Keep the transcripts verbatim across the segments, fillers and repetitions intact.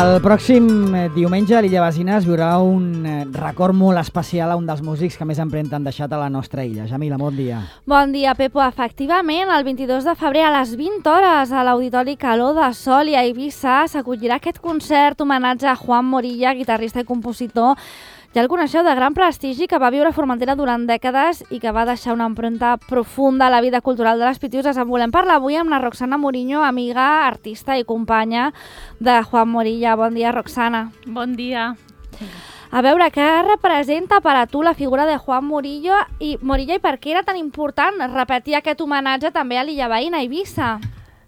El pròxim diumenge a l'Illa Basina es viurà un record molt especial a un dels músics que més empremta han deixat a la nostra illa. Jamila, bon dia. Bon dia, Pepo. Efectivament, el vint-i-dos de febrer a les vint hores a l'Auditori Calor de Sol i a Eivissa s'acollirà aquest concert homenatge a Juan Morilla, guitarrista i compositor. Ja el coneixeu, de gran prestigi, que va viure a Formentera durant dècades i que va deixar una empremta profunda a la vida cultural de les Pitiuses. En volem parlar avui amb la Roxana Muriño, amiga, artista i companya de Juan Morilla. Bon dia, Roxana. Bon dia. A veure, què representa per a tu la figura de Juan Morilla i, Morilla, i per què era tan important repetir aquest homenatge també a l'illa veïna, a Eivissa?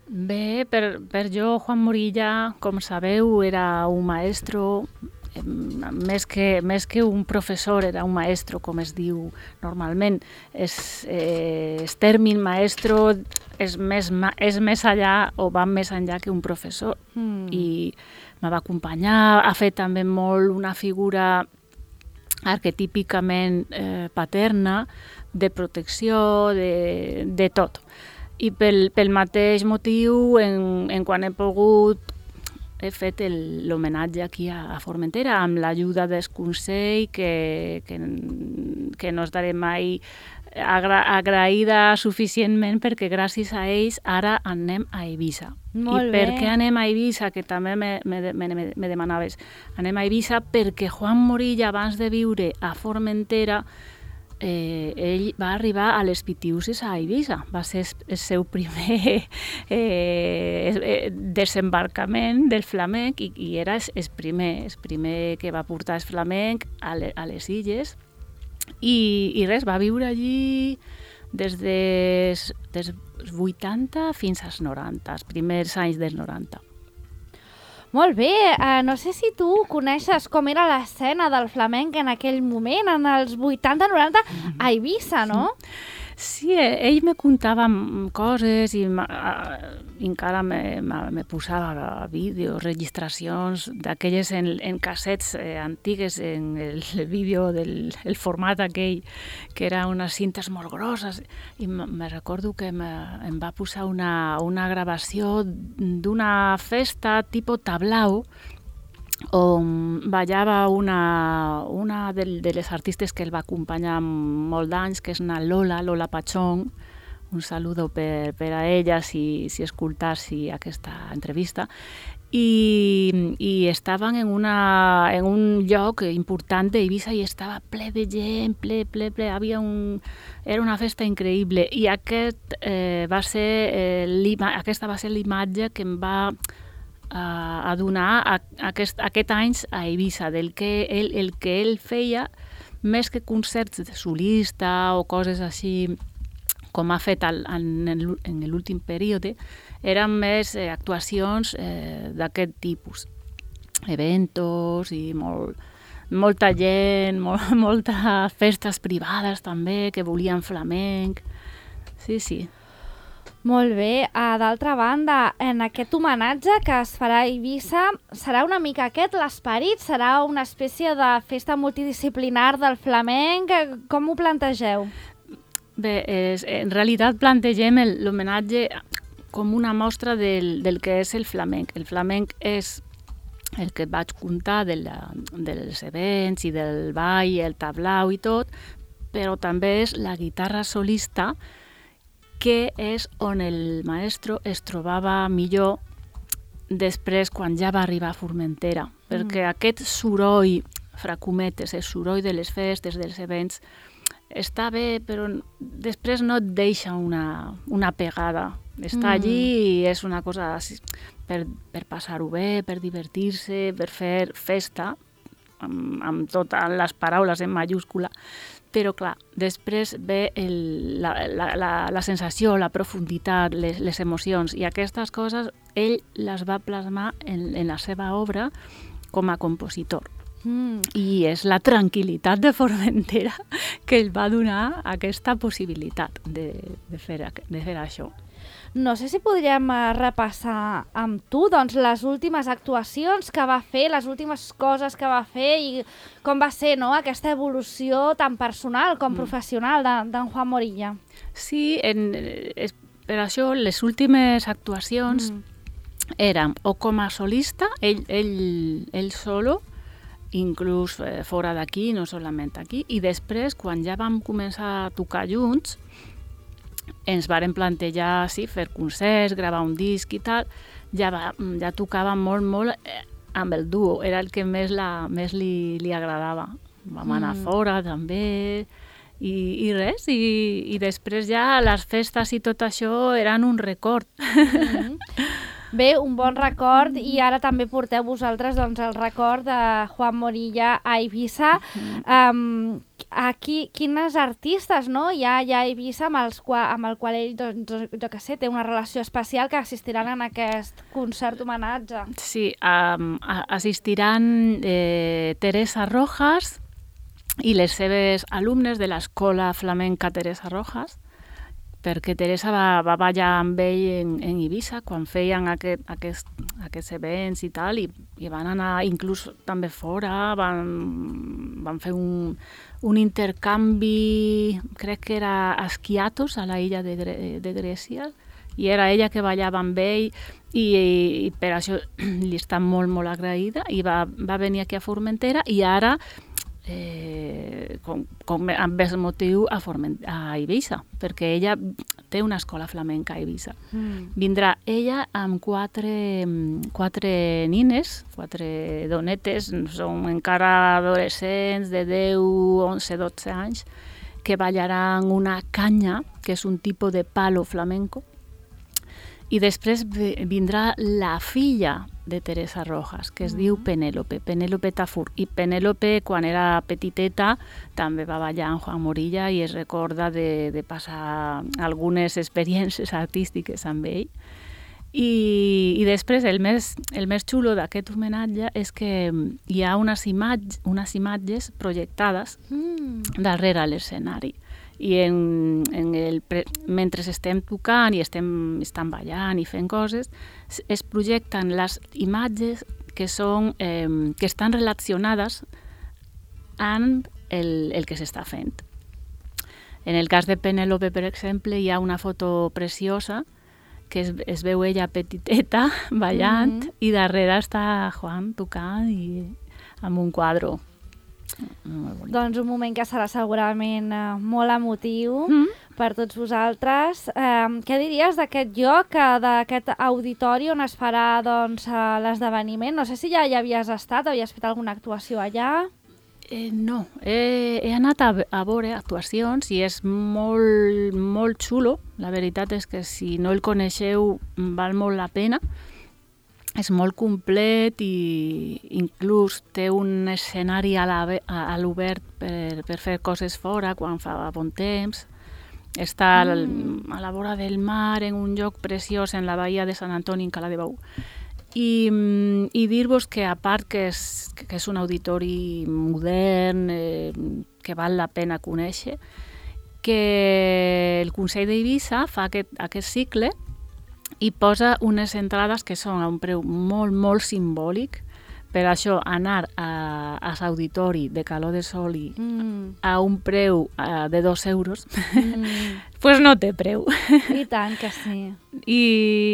Bé, per, per jo, Juan Morilla, com sabeu, era un maestro. Més que, més que un professor, era un maestro, com es diu normalment. És, eh, és tèrmin maestro, és més, és més allà o va més enllà que un professor. Mm. I me va acompanyar, ha fet també molt una figura arquetípicament eh, paterna, de protecció, de, de tot. I pel, pel mateix motiu, en, en quan he pogut, he fet l'homenatge aquí a, a Formentera amb l'ajuda del Consell, que, que, que no estaré mai agra, agraïda suficientment, perquè gràcies a ells ara anem a Eivissa. Molt I per bé. què anem a Eivissa? Que també me, me, me, me demanaves. Anem a Eivissa perquè Juan Morilla, abans de viure a Formentera, Eh, ell va arribar a les Pitiuses a Eivissa. Va ser el seu primer eh, desembarcament del flamenc i, i era el primer, el primer que va portar el flamenc a, le, a les illes i, i res, va viure allí des dels des vuitanta fins als noranta, els primers anys dels noranta. Molt bé, uh, no sé si tu coneixes com era l'escena del flamenc en aquell moment, en els vuitanta noranta, a Eivissa, no? Sí, ell me contava coses i encara me, me posava vídeos, registracions d'aquelles en, en cassets eh, antigues, en el, el vídeo del el format aquell, que era unes cintes molt grosses. I me recordo que me, em va posar una, una gravació d'una festa tipus tablao, on ballava una, una de, de les artistes que el va acompanyar molt d'anys, que és una Lola, Lola Pachón. Un saludo per, per a ella si, si escoltassi aquesta entrevista. I, i estaven en, una, en un lloc important d'Eivissa i estava ple de gent, ple, ple, ple. Havia un, era una festa increïble. I aquest, eh, va ser, eh, aquesta va ser l'imatge que em va a, a donar a, a aquest, aquest anys a Eivissa, del que ell, el que ell feia, més que concerts de solista o coses així com ha fet al, en, en l'últim període, eren més eh, actuacions eh, d'aquest tipus. Eventos i molt, molta gent, molt, moltes festes privades també que volien flamenc. Sí, sí. Molt bé. Uh, D'altra banda, en aquest homenatge que es farà a Eivissa, serà una mica aquest l'esperit? Serà una espècie de festa multidisciplinar del flamenc? Com ho plantegeu? Bé, és, en realitat plantegem l'homenatge com una mostra del, del que és el flamenc. El flamenc és el que vaig contar de la, dels events i del ball, el tablau i tot, però també és la guitarra solista, que és on el maestro es trobava millor després quan ja va arribar a Formentera, mm. perquè aquest soroll, fracometes, el soroll de les festes, dels events, està bé, però després no et deixa una, una pegada. Està mm. allí i és una cosa per, per passar-ho bé, per divertir-se, per fer festa, amb, amb totes les paraules en mayúscula. Però, clar, després ve el, la, la, la, la sensació, la profunditat, les, les emocions, i aquestes coses ell les va plasmar en, en la seva obra com a compositor. Mm. I és la tranquil·litat de Formentera que ell va donar aquesta possibilitat de, de, fer, de fer això. No sé si podríem repassar amb tu doncs, les últimes actuacions que va fer, les últimes coses que va fer i com va ser, no?, aquesta evolució tan personal com mm. professional d'en Juan Morilla. Sí, en, es, per això les últimes actuacions mm. érem o com a solista, ell, ell, ell solo, inclús eh, fora d'aquí, no solament aquí, i després, quan ja vam començar a tocar junts, ens varen plantejar, sí, fer concerts, gravar un disc i tal, ja, va, ja tocava molt, molt eh, amb el duo, era el que més, la, més li, li agradava. Vam anar mm. fora també, i, i res, i, i després ja les festes i tot això eren un record. Mm. Bé, un bon record, i ara també porteu vosaltres doncs, el record de Juan Morilla a Eivissa. Um, aquí, quines artistes no? hi, ha, hi ha a Eivissa amb, els qua, amb el qual ell doncs, jo què sé, té una relació especial que assistiran en aquest concert homenatge? Sí, um, assistiran eh, Teresa Rojas i les seves alumnes de l'Escola Flamenca Teresa Rojas, perquè Teresa va, va ballar amb ell en, en Eivissa quan feien aquest, aquest, aquests events i tal, i, i van anar inclús també fora, van, van fer un, un intercanvi, crec que era a Skiathos, a la illa de, de Grècia, i era ella que ballava amb ell, i, i per això li està molt, molt agraïda, i va, va venir aquí a Formentera, i ara Eh, com, com amb el motiu a, Forment a Eivissa, perquè ella té una escola flamenca a Eivissa. Mm. Vindrà ella amb quatre, quatre nines, quatre donetes, són encara adolescents de deu, onze, dotze anys, que ballaran una canya, que és un tipus de palo flamenco, i després vindrà la filla de Teresa Rojas, que es mm. diu Penélope, Penélope Tafur. I Penélope, quan era petiteta, també va ballar amb Juan Morilla i es recorda de, de passar algunes experiències artístiques amb ell. I, i després, el més, el més xulo d'aquest homenatge és que hi ha unes, imatge, unes imatges projectades mm. darrere l'escenari. I en, en el, mentre estem tocant i estem, estem ballant i fent coses, es projecten les imatges que, són, eh, que estan relacionades amb el, el que s'està fent. En el cas de Penélope, per exemple, hi ha una foto preciosa que es, es veu ella petiteta ballant mm-hmm. i darrere està Juan tocant i amb un quadre. Doncs un moment que serà segurament eh, molt emotiu mm. per tots vosaltres. Eh, què diries d'aquest lloc, d'aquest auditori on es farà doncs, l'esdeveniment? No sé si ja hi havies estat, havies fet alguna actuació allà? Eh, no, he, he anat a, a veure actuacions i és molt, molt xulo. La veritat és que si no el coneixeu val molt la pena. És molt complet i inclús té un escenari a l'obert per, per fer coses fora quan fa bon temps. Està mm. a la vora del mar, en un lloc preciós, en la bahia de Sant Antoni, en Cala de Bou. I, i dir-vos que, a part que és, que és un auditori modern, eh, que val la pena conèixer, que el Consell d'Eivissa fa aquest, aquest cicle i posa unes entrades que són a un preu molt, molt simbòlic. Per això, anar a, a l'auditori de Calor de Soli mm. a un preu uh, de dos euros, mm. pues no té preu. I tant que sí. I,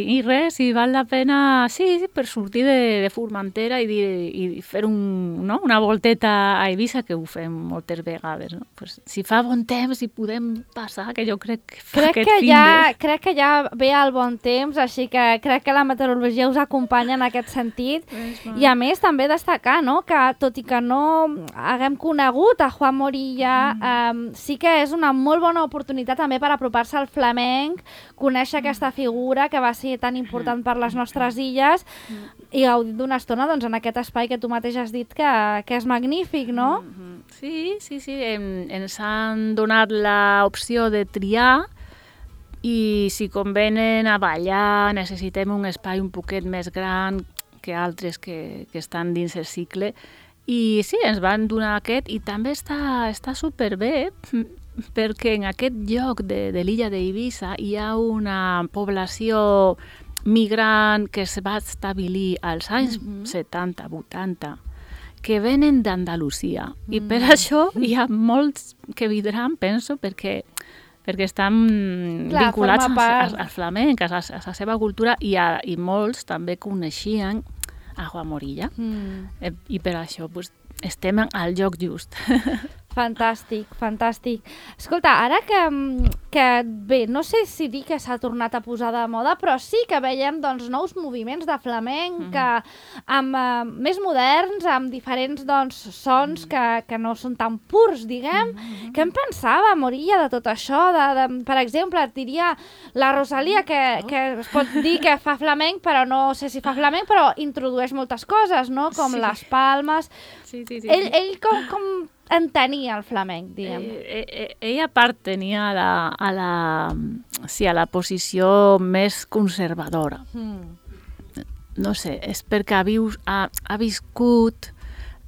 i res, i val la pena, sí, per sortir de, de Formentera i, dir, i fer un, no? una volteta a Eivissa, que ho fem moltes vegades. No? Pues, si fa bon temps i podem passar, que jo crec que fa crec aquest que fin ja, de... Crec que ja ve el bon temps, així que crec que la meteorologia us acompanya en aquest sentit. Pues, I a més, també destacar, no?, que tot i que no haguem conegut a Juan Morilla, mm. eh, sí que és una molt bona oportunitat també per apropar-se al flamenc, conèixer mm. aquesta figura que va ser tan important per les nostres illes mm. i gaudir d'una estona doncs, en aquest espai que tu mateix has dit que, que és magnífic, no? Mm-hmm. Sí, sí, sí. Em, ens han donat l'opció de triar i si convenen a ballar necessitem un espai un poquet més gran que altres que, que estan dins el cicle. I sí, ens van donar aquest i també està, està superbé perquè en aquest lloc de, de l'illa d'Eivissa hi ha una població migrant que es va establir als anys mm-hmm. setanta vuitanta que venen d'Andalusia mm. i per això hi ha molts que vindran, penso, perquè perquè estan Clar, vinculats forma part. al flamenc, a la, a la seva cultura, i, a, i molts també coneixien a Juan Morilla. Mm. Eh, I per això pues, estem al lloc just. Fantàstic, fantàstic. Escolta, ara que, que bé, no sé si dir que s'ha tornat a posar de moda, però sí que veiem doncs, nous moviments de flamenc mm -hmm. que, amb, uh, més moderns, amb diferents doncs, sons mm -hmm. que, que no són tan purs, diguem. Mm -hmm. Què en pensava, Morilla, de tot això? De, de, per exemple, et diria la Rosalia, que, que es pot dir que fa flamenc, però no sé si fa flamenc, però introdueix moltes coses, no? Com sí. les palmes. Sí, sí, sí. Ell, ell com... com entenia el flamenc, diguem. Eh, eh, ella pertenia a la, a la, sí, a la posició més conservadora. Mm. No sé, és perquè ha, vius, ha, ha viscut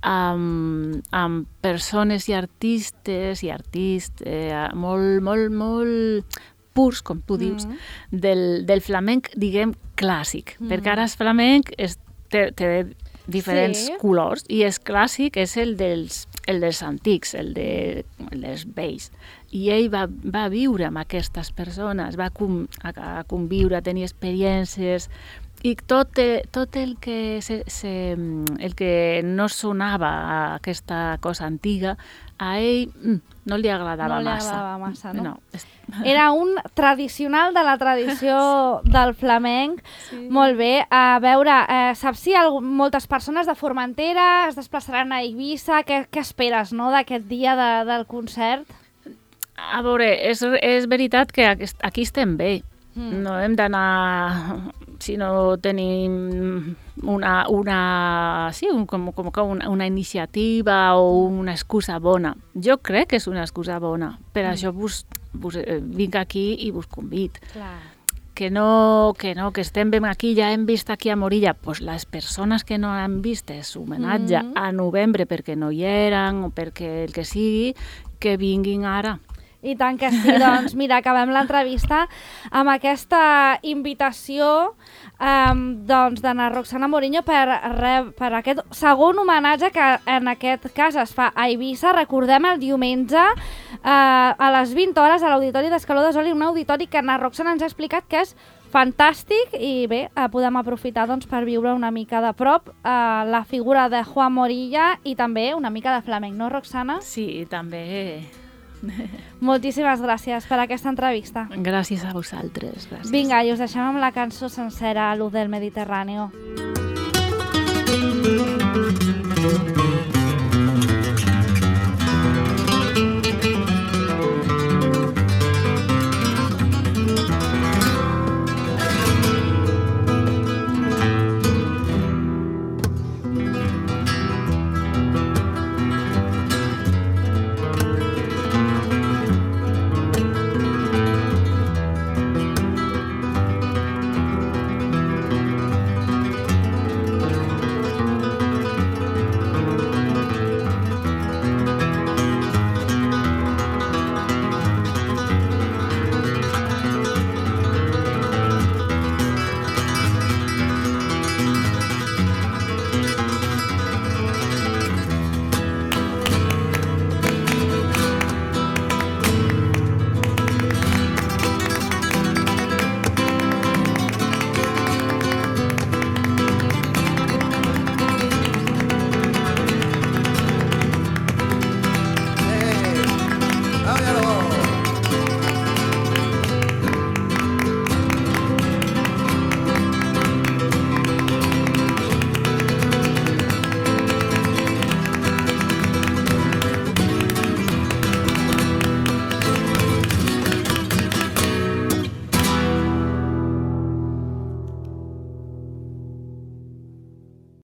amb, amb persones i artistes i artistes eh, molt, molt, molt purs, com tu dius, mm. del, del flamenc, diguem, clàssic. Mm. Perquè ara el flamenc és, té, té diferents sí. colors, i és clàssic, és el dels, el dels antics, el, de, el dels vells. I ell va, va viure amb aquestes persones, va com, a, a conviure, a tenir experiències, i tot, tot el, que se, se, el que no sonava a aquesta cosa antiga, a ell no li agradava massa. No li massa. agradava massa, no? no és... Era un tradicional de la tradició sí. del flamenc. Sí. Molt bé. A veure, eh, saps si algun, moltes persones de Formentera es desplaçaran a Eivissa? Què, què esperes, no?, d'aquest dia de, del concert? A veure, és, és veritat que aquí estem bé. Mm. No hem d'anar... Si no tenim una, una, sí, un, com, com una, una iniciativa o una excusa bona. Jo crec que és una excusa bona. Per mm. això vos, vos, eh, vinc aquí i vos convid. Clar. Que no, que no, que estem ben aquí, ja hem vist aquí a Morilla, pues les persones que no han vist és homenatge mm. a novembre perquè no hi eren o perquè el que sigui, que vinguin ara. I tant que sí, doncs mira, acabem l'entrevista amb aquesta invitació um, doncs, d'Anna Roxana Morinho per, per aquest segon homenatge que en aquest cas es fa a Eivissa. Recordem el diumenge uh, a les vint hores a l'Auditori d'Escaló de Soli, un auditori que Anna Roxana ens ha explicat que és fantàstic i bé, eh, podem aprofitar doncs, per viure una mica de prop eh, la figura de Juan Morilla i també una mica de flamenc, no, Roxana? Sí, també... Moltíssimes gràcies per aquesta entrevista. Gràcies a vosaltres. Gràcies. Vinga, i us deixem amb la cançó sencera, Luz del Mediterráneo.